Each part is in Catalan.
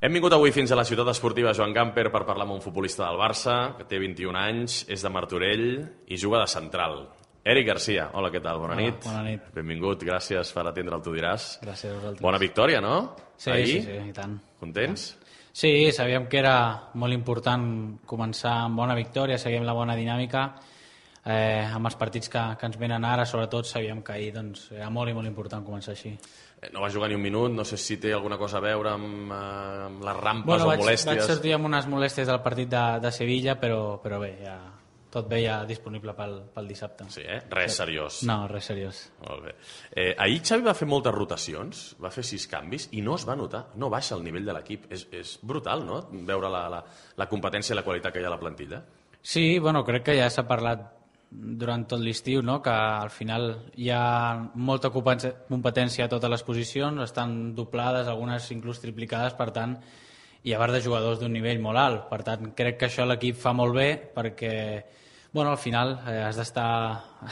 Hem vingut avui fins a la ciutat esportiva Joan Gamper per parlar amb un futbolista del Barça, que té 21 anys, és de Martorell i juga de central. Eric Garcia, hola, què tal? Bona nit. Bona nit. Benvingut, gràcies per atendre el Tu diràs. Gràcies a vosaltres. Bona victòria, no? Sí, Ahir? sí, i tant. Contents? Sí, sabíem que era molt important començar amb bona victòria, seguim la bona dinàmica. Amb els partits que ens venen ara, sobretot, sabíem que ahir era molt i molt important començar així. No va jugar ni un minut, no sé si té alguna cosa a veure amb les rampes o molèsties. Vaig sortir amb unes molèsties del partit de Sevilla, però bé, ja, tot bé, ja disponible pel dissabte. Sí, Res seriós. No, res seriós. Molt bé. Ahir Xavi va fer moltes rotacions, va fer 6 canvis i no es va notar, no baixa el nivell de l'equip. És brutal, no?, veure la competència i la qualitat que hi ha a la plantilla. Sí, bueno, crec que ja s'ha parlat durant tot l'estiu, no?, que al final hi ha molta competència a totes les posicions, estan doblades, algunes inclús triplicades, per tant, hi ha part de jugadors d'un nivell molt alt. Per tant, crec que això l'equip fa molt bé perquè, bueno, al final has d'estar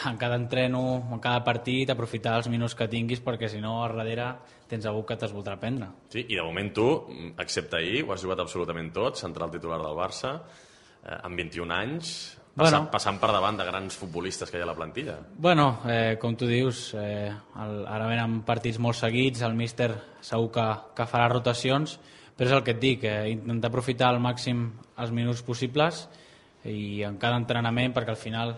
en cada entreno, en cada partit, aprofitar els minuts que tinguis, perquè si no, a darrere tens algú que t'es voldrà prendre. Sí, i de moment tu, excepte ahir, ho has jugat absolutament tot, central titular del Barça, amb 21 anys, passant per davant de grans futbolistes que hi ha a la plantilla. Bueno, com tu dius, ara venen partits molt seguits, el míster segur que farà rotacions, però és el que et dic, intentar aprofitar al màxim els minuts possibles i en cada entrenament, perquè al final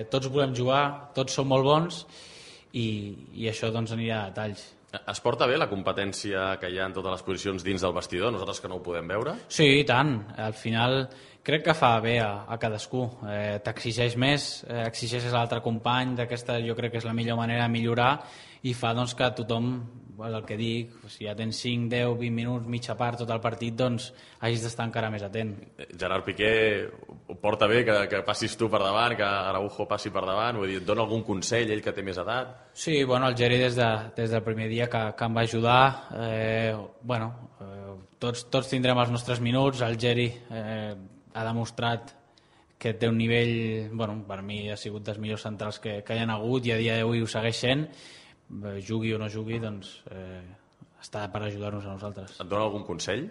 tots volem jugar, tots som molt bons i això doncs anirà a detalls. Es porta bé la competència que hi ha en totes les posicions dins del vestidor, nosaltres que no ho podem veure? Sí, i tant. Al final crec que fa bé a cadascú. T'exigeix més, exigeixes a l'altre company, d'aquesta jo crec que és la millor manera de millorar i fa doncs, que tothom, el que dic, si ja tens 5, 10, 20 minuts, mitja part, tot el partit, doncs hagis d'estar encara més atent. Gerard Piqué ho porta bé que passis tu per davant, que Araujo passi per davant, vull dir, et dona algun consell, ell que té més edat? Sí, bueno, el Geri des del primer dia que em va ajudar, tots tindrem els nostres minuts, el Geri ha demostrat que té un nivell, bueno, per mi ha sigut dels millors centrals que hi ha hagut i a dia d'avui ho segueix sent, jugui o no jugui, doncs està per ajudar-nos a nosaltres. Et dona algun consell?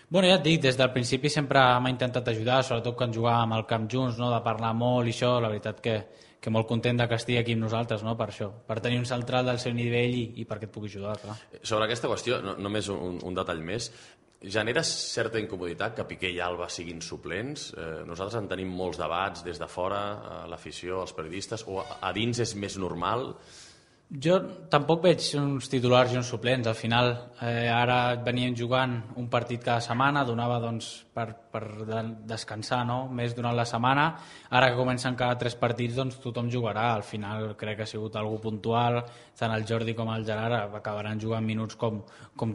Bueno, ja et dic, des del principi sempre m'ha intentat ajudar, sobretot quan jugàvem al camp junts, no?, de parlar molt i això, la veritat que molt content que estigui aquí amb nosaltres, no?, per això, per tenir un central del seu nivell i perquè et pugui ajudar, clar. Sobre aquesta qüestió, només un detall més, genera certa incomoditat que Piqué i Alba siguin suplents? Nosaltres en tenim molts debats des de fora, l'afició, els periodistes, o a dins és més normal? Jo tampoc veig uns titulars i uns suplents. Al final, ara veníem jugant un partit cada setmana, donava doncs, per descansar, no?, més durant la setmana. Ara que comencen cada 3 partits, doncs tothom jugarà. Al final crec que ha sigut algú puntual, tant el Jordi com el Gerard acabaran jugant minuts com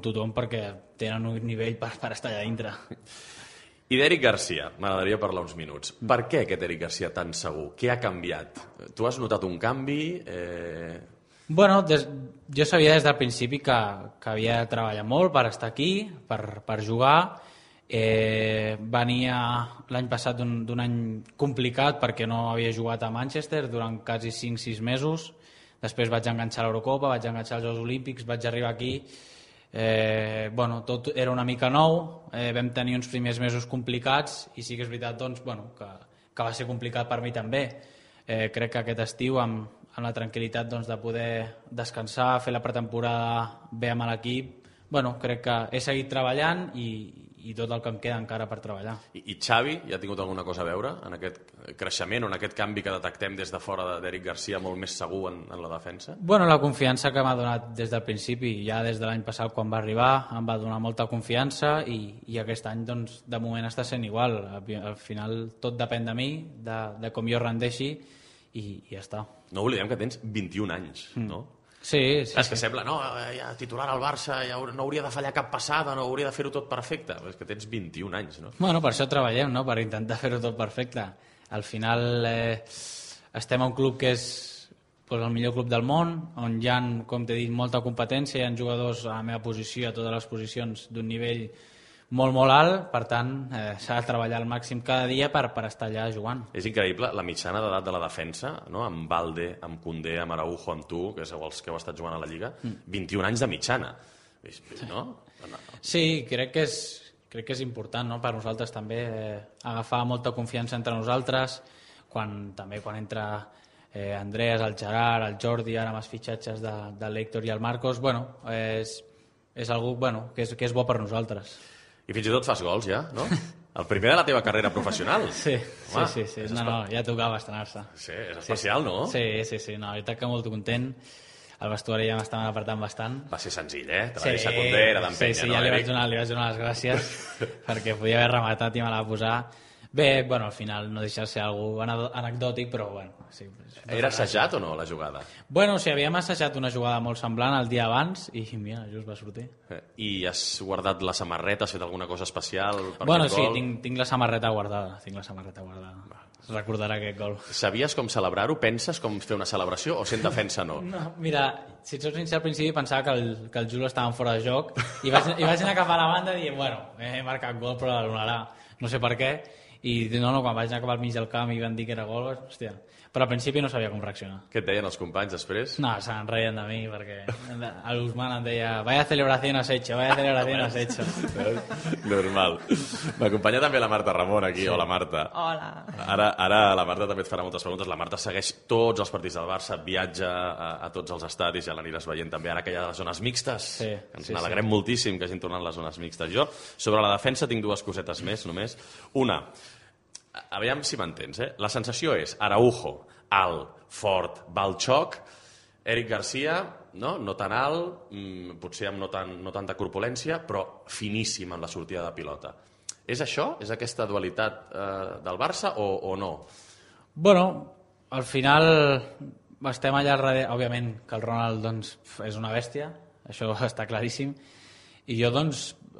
tothom perquè tenen un nivell per estar allà dintre. I d'Eric Garcia, m'agradaria parlar uns minuts. Per què aquest Eric Garcia tan segur? Què ha canviat? Tu has notat un canvi? Bueno, jo sabia des del principi que havia de treballar molt per estar aquí, per jugar. Venia l'any passat d'un any complicat perquè no havia jugat a Manchester durant quasi 5-6 mesos. Després vaig enganxar l'Eurocopa, vaig enganxar els Jocs Olímpics, vaig arribar aquí. Tot era una mica nou, vam tenir uns primers mesos complicats i sí que és veritat doncs, que va ser complicat per mi també. Crec que aquest estiu amb la tranquil·litat doncs, de poder descansar, fer la pretemporada bé amb l'equip, crec que he seguit treballant i tot el que em queda encara per treballar. I Xavi ja ha tingut alguna cosa a veure en aquest creixement o en aquest canvi que detectem des de fora d'Eric Garcia molt més segur en la defensa? La confiança que m'ha donat des del principi, ja des de l'any passat quan va arribar, em va donar molta confiança i aquest any doncs, de moment està sent igual. Al final tot depèn de mi, de com jo rendeixi i ja està. No oblidem que tens 21 anys, no? Sí. És que sembla, ja titular al Barça, ja no hauria de fallar cap passada, no hauria de fer-ho tot perfecte. Però és que tens 21 anys, no? Per això treballem, no?, per intentar fer-ho tot perfecte. Al final estem a un club que és el millor club del món, on hi ha, com t'he dit, molta competència, hi ha jugadors a la meva posició, a totes les posicions, d'un nivell molt, molt alt, per tant, s'ha de treballar al màxim cada dia per estar allà jugant. És increïble la mitjana d'edat de la defensa, no?, amb Balde, amb Koundé, amb Araujo, amb tu, que sou els que heu estat jugant a la Lliga, 21 anys de mitjana, no? Sí, crec que crec que és important, no?, per nosaltres també agafar molta confiança entre nosaltres, quan entra Andrés, el Gerard, el Jordi, ara amb els fitxatges de l'Héctor i el Marcos, bueno, és algú que és bo per nosaltres. I fins i tot fas gols ja, no? El primer de la teva carrera professional. Sí. No, ja tocava estrenar-se. Sí, és especial, no? Sí, no, la veritat que molt content. El vestuari ja m'estaven apretant bastant. Va ser senzill, te va deixar Condé, era d'empenya, no, ja li vaig donar les gràcies perquè podia haver rematat i me la va posar. Bé, al final no deixa de ser algú anecdòtic, però sí. Era assajat o no, la jugada? Havíem assajat una jugada molt semblant el dia abans i mira, just va sortir. I has guardat la samarreta, has fet alguna cosa especial per aquest gol? Sí, tinc la samarreta guardada, Es recordarà aquest gol. Sabies com celebrar-ho? Penses com fer una celebració o sent defensa no? No, mira, si et soc sincer, al principi pensava que el Julo estava fora de joc i vaig anar cap a la banda dient, he marcat gol però l'anul·larà, no sé per què. I quan vaig anar cap al mig del camp i van dir que era gol, hòstia. Però al principi no sabia com reaccionar. Què et deien els companys després? No, se'n reien de mi, perquè l'Usman em deia vaya celebración has hecho. Normal. M'acompanya també la Marta Ramon aquí, sí. Hola Marta. Hola. Ara la Marta també et farà moltes preguntes. La Marta segueix tots els partits del Barça, viatja a tots els estadis, ja l'aniràs veient també ara que hi ha les zones mixtes. Sí, ens n'alegrem moltíssim que hagin tornat les zones mixtes. Jo, sobre la defensa, tinc dues cosetes més, només. Una, aviam si m'entens, la sensació és Araujo, alt, fort, va al xoc, Eric Garcia, no tan alt, potser amb no tanta corpulència, però finíssim en la sortida de pilota. És això? És aquesta dualitat del Barça o no? Al final estem allà darrere, òbviament que el Ronald és una bèstia, això està claríssim, i jo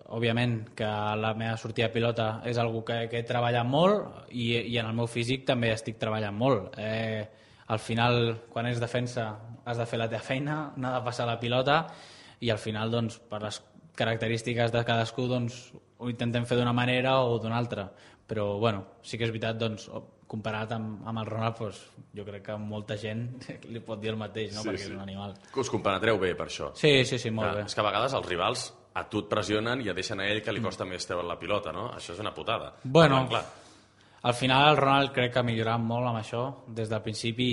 òbviament que la meva sortida de pilota és algo que he treballat molt i en el meu físic també estic treballant molt. Al final, quan ets defensa, has de fer la teva feina, n'ha de passar la pilota i al final, per les característiques de cadascú, ho intentem fer d'una manera o d'una altra. Però, sí que és veritat, comparat amb el Ronald, jo crec que molta gent li pot dir el mateix, no? Perquè és un animal. Us compenetreu bé per això? Sí, molt bé. És que a vegades els rivals a tu et pressionen i et deixen a ell que li costa més treure la pilota, no? Això és una putada. Al final el Ronald crec que ha millorat molt amb això des del principi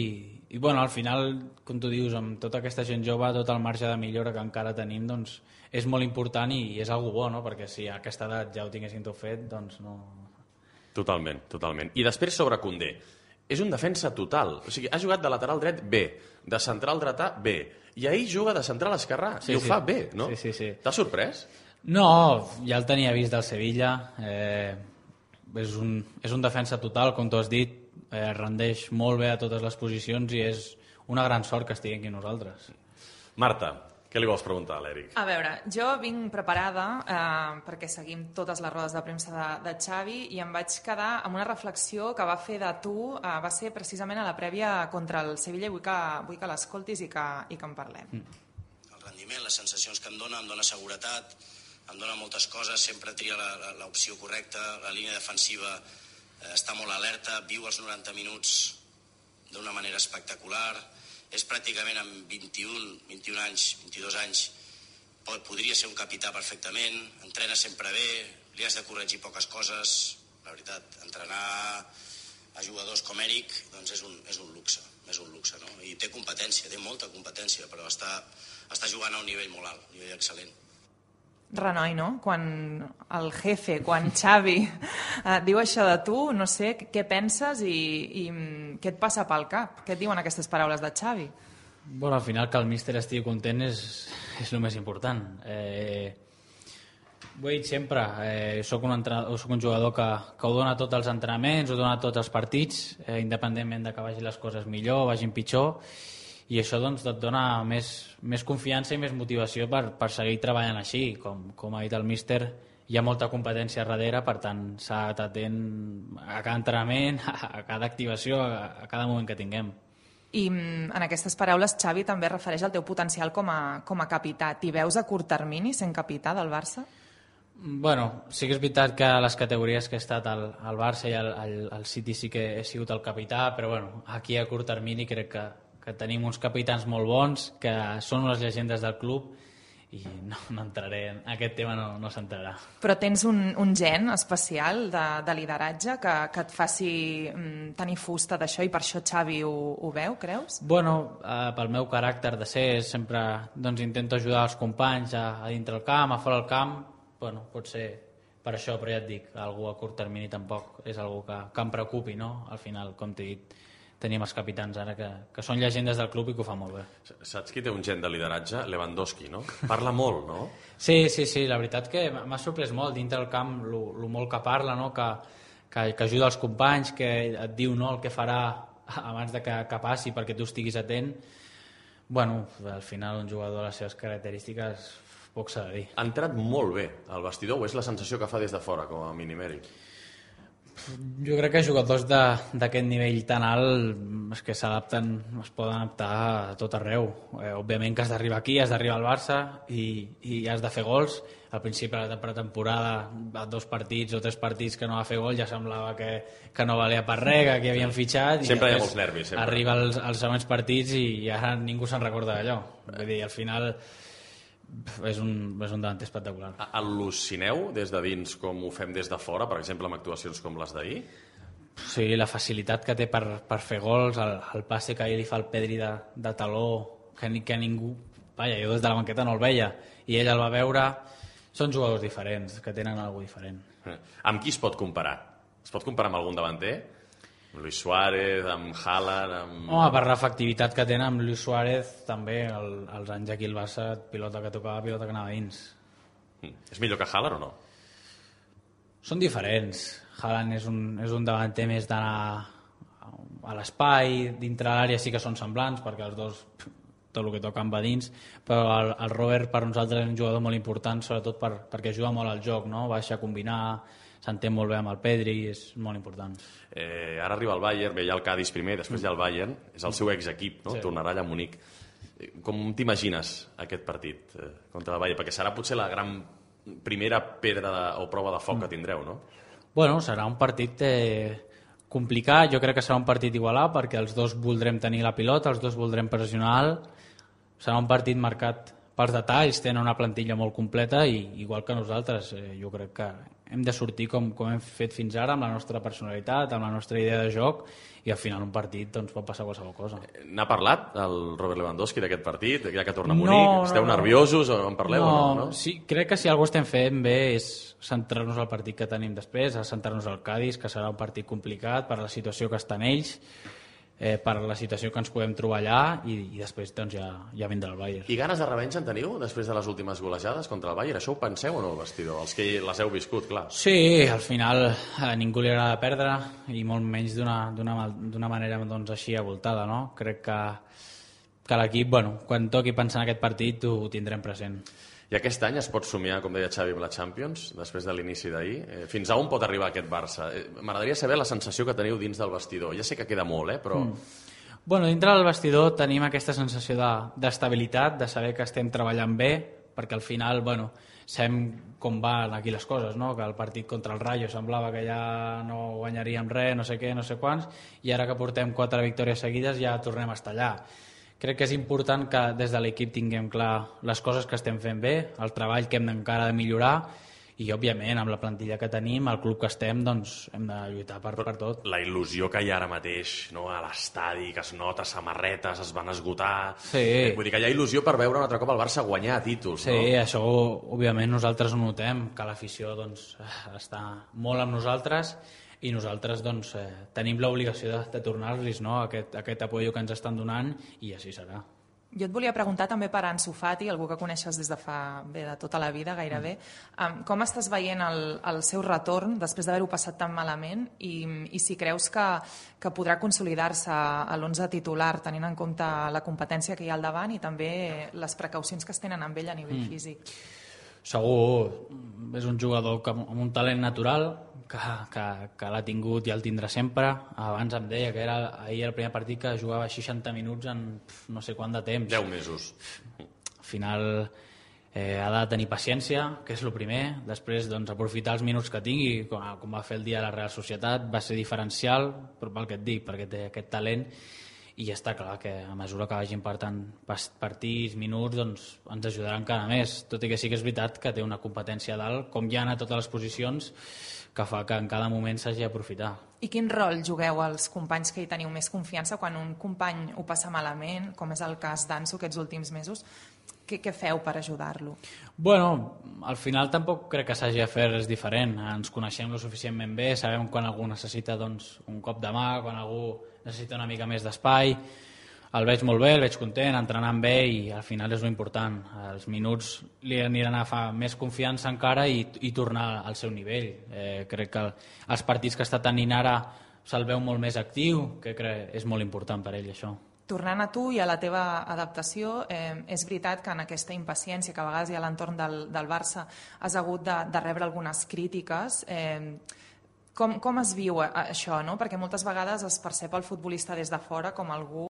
i al final, com tu dius, amb tota aquesta gent jove, tot el marge de millora que encara tenim, és molt important i és algo bo, no? Perquè si a aquesta edat ja ho tinguessin tot fet, no... Totalment. I després sobre Condé. És un defensa total. O sigui, ha jugat de lateral dret bé, de central dretà bé, i ahir juga de central esquerrà i ho fa bé, no? Sí. T'ha sorprès? No, ja el tenia vist del Sevilla. És un defensa total, com tu has dit, rendeix molt bé a totes les posicions i és una gran sort que estigui aquí nosaltres. Marta, què li vols preguntar a l'Eric? A veure, jo vinc preparada perquè seguim totes les rodes de premsa de Xavi i em vaig quedar amb una reflexió que va fer de tu, va ser precisament a la prèvia contra el Sevilla i vull que l'escoltis i que en parlem. El rendiment, les sensacions que em dona seguretat, em dona moltes coses, sempre tria l'opció correcta, la línia defensiva està molt alerta, viu els 90 minuts d'una manera espectacular, és pràcticament amb 21 anys, 22 anys, podria ser un capità perfectament, entrena sempre bé, li has de corregir poques coses, la veritat, entrenar a jugadors com Eric és un luxe, no? I té competència, té molta competència, però està jugant a un nivell molt alt, un nivell excel·lent. Renoi, no? Quan el jefe, quan Xavi diu això de tu, no sé, què penses i què et passa pel cap? Què et diuen aquestes paraules de Xavi? Al final que el míster estigui content és el més important. Ho he dit sempre, soc un jugador que ho dona tots els entrenaments, ho dona tots els partits, independentment de que vagin les coses millor o vagin pitjor, i això et dona més confiança i més motivació per seguir treballant així. Com ha dit el míster, hi ha molta competència darrere, per tant s'ha d'estar atent a cada entrenament, a cada activació, a cada moment que tinguem. I en aquestes paraules Xavi també refereix al teu potencial com a capità. T'hi veus a curt termini sent capità del Barça? Sí que és veritat que a les categories que he estat al Barça i al City sí que he sigut el capità, però aquí a curt termini crec que tenim uns capitans molt bons, que són unes llegendes del club i no entraré en aquest tema, no s'entrarà. Però tens un gen especial de lideratge que et faci tenir fusta d'això i per això Xavi ho veu, creus? Bueno, pel meu caràcter de ser sempre intento ajudar els companys a dintre el camp, a fora el camp. Bueno, pot ser per això, però ja et dic, algú a curt termini tampoc és algú que em preocupi, no? Al final, com t'he dit, tenim els capitans ara que són llegendes del club i que ho fa molt bé. Saps qui té un gen de lideratge? Lewandowski, no? Parla molt, no? Sí, la veritat que m'ha sorprès molt dintre del camp lo molt que parla, no? Que ajuda els companys, que et diu el que farà abans de que passi perquè tu estiguis atent. Bueno, al final un jugador de les seves característiques poc s'ha de dir. Ha entrat molt bé al vestidor, o és la sensació que fa des de fora, com a mínim, Eric? Jo crec que jugadors d'aquest nivell tan alt que s'adapten, es poden adaptar a tot arreu. Òbviament que has d'arribar aquí, has d'arribar al Barça i has de fer gols. Al principi de la pretemporada, a 2 partits o 3 partits que no va fer gol, ja semblava que no valia per res, que havien fitxat. Sempre hi ha molts nervis. Sempre. Arriba als següents partits i ara ningú se'n recorda d'allò. Vull dir, al final és un davanter espectacular. Al·lucineu des de dins com ho fem des de fora, per exemple amb actuacions com les d'ahir? Sí, la facilitat que té per fer gols, el passe que ahir li fa el Pedri de taló, que ningú... Vaja, jo des de la banqueta no el veia i ell el va veure. Són jugadors diferents, que tenen alguna cosa diferent. Amb qui es pot comparar? Es pot comparar amb algun davanter? Amb Luis Suárez, amb Haaland... Home, per l'efectivitat que tenen amb Luis Suárez, també, els anys aquí al Barça, pilota que tocava, pilota que anava dins. És millor que Haaland o no? Són diferents. Haaland és un davanter més d'anar a l'espai, dintre l'àrea sí que són semblants, perquè els dos tot el que toquen va dins, però el Robert per nosaltres és un jugador molt important, sobretot perquè juga molt al joc, no? Baixa a combinar, s'entén molt bé amb el Pedri, és molt important. Ara arriba el Bayern, ve ja el Cádiz primer, després ja el Bayern, és el seu exequip, no? Sí. Tornarà allà a Munic. Com t'imagines aquest partit contra el Bayern? Perquè serà potser la gran primera pedra o prova de foc que tindreu, no? Bueno, serà un partit complicat, jo crec que serà un partit igualat perquè els dos voldrem tenir la pilota, els dos voldrem pressionar, serà un partit marcat pels detalls, tenen una plantilla molt completa i igual que nosaltres, jo crec que hem de sortir com hem fet fins ara, amb la nostra personalitat, amb la nostra idea de joc, i al final un partit pot passar qualsevol cosa. N'ha parlat el Robert Lewandowski d'aquest partit, ja que torna a Munic? Esteu nerviosos o en parleu? No? Sí, crec que si alguna cosa estem fent bé és centrar-nos al partit que tenim després, a centrar-nos al Cádiz, que serà un partit complicat per la situació que estan ells, per la situació que ens podem trobar allà i després ja vindrà el Bayern. I ganes de revenja en teniu després de les últimes golejades contra el Bayern? Això ho penseu o no, al vestidor? Els que les heu viscut, clar. Sí, al final a ningú li agrada perdre i molt menys d'una manera així avoltada, no? Crec que l'equip, quan toqui pensar en aquest partit ho tindrem present. I aquest any es pot somiar, com deia Xavi, amb la Champions, després de l'inici d'ahir? Fins a on pot arribar aquest Barça? M'agradaria saber la sensació que teniu dins del vestidor. Ja sé que queda molt, però... Dintre del vestidor tenim aquesta sensació d'estabilitat, de saber que estem treballant bé, perquè al final, sabem com van aquí les coses, no? Que el partit contra el Rayo semblava que ja no guanyaríem res, no sé què, no sé quants, i ara que portem 4 victòries seguides ja tornem a estar allà. Crec que és important que des de l'equip tinguem clar les coses que estem fent bé, el treball que hem encara de millorar i, òbviament, amb la plantilla que tenim, el club que estem, hem de lluitar per tot. La il·lusió que hi ha ara mateix, no? A l'estadi, que es nota, samarretes, es van esgotar... Sí. Vull dir que hi ha il·lusió per veure un altre cop el Barça guanyar títols, no? Sí, no? això, òbviament, nosaltres ho notem, que l'afició està molt amb nosaltres i nosaltres tenim l'obligació de tornar-los, no? aquest apoyo que ens estan donant, i així serà. Jo et volia preguntar també per Ansu Fati, algú que coneixes des de de tota la vida gairebé. Com estàs veient el seu retorn després d'haver-ho passat tan malament i si creus que podrà consolidar-se a l'11 titular tenint en compte la competència que hi ha al davant i també les precaucions que es tenen amb ell a nivell físic? Segur, és un jugador amb un talent natural que l'ha tingut i el tindrà sempre. Abans em deia que era ahir el primer partit que jugava 60 minuts en no sé quant de temps. 10 mesos. Al final ha de tenir paciència, que és el primer. Després aprofitar els minuts que tingui, com va fer el dia de la Real Societat, va ser diferencial, però pel que et dic, perquè té aquest talent. i ja està clar que a mesura que vagin partant partits, minuts, doncs ens ajudaran encara més, tot i que sí que és veritat que té una competència dalt, com ja a totes les posicions, que fa que en cada moment s'hagi d'aprofitar. I quin rol jugueu els companys que hi teniu més confiança quan un company ho passa malament, com és el cas d'Anso aquests últims mesos? Què feu per ajudar-lo? Bueno, al final tampoc crec que s'hagi de fer res diferent. Ens coneixem lo suficientment bé, sabem quan algú necessita doncs, un cop de mà, quan algú necessita una mica més d'espai. El veig molt bé, el veig content, entrenant bé i al final és l'important. Els minuts li aniran a agafar més confiança encara i tornar al seu nivell. Crec que els partits que està tenint ara se'l veu molt més actiu, que és molt important per ell això. Tornant a tu i a la teva adaptació, és veritat que en aquesta impaciència que a vegades hi ha a l'entorn del Barça has hagut de rebre algunes crítiques. Com es viu això? No? Perquè moltes vegades es percep el futbolista des de fora com algú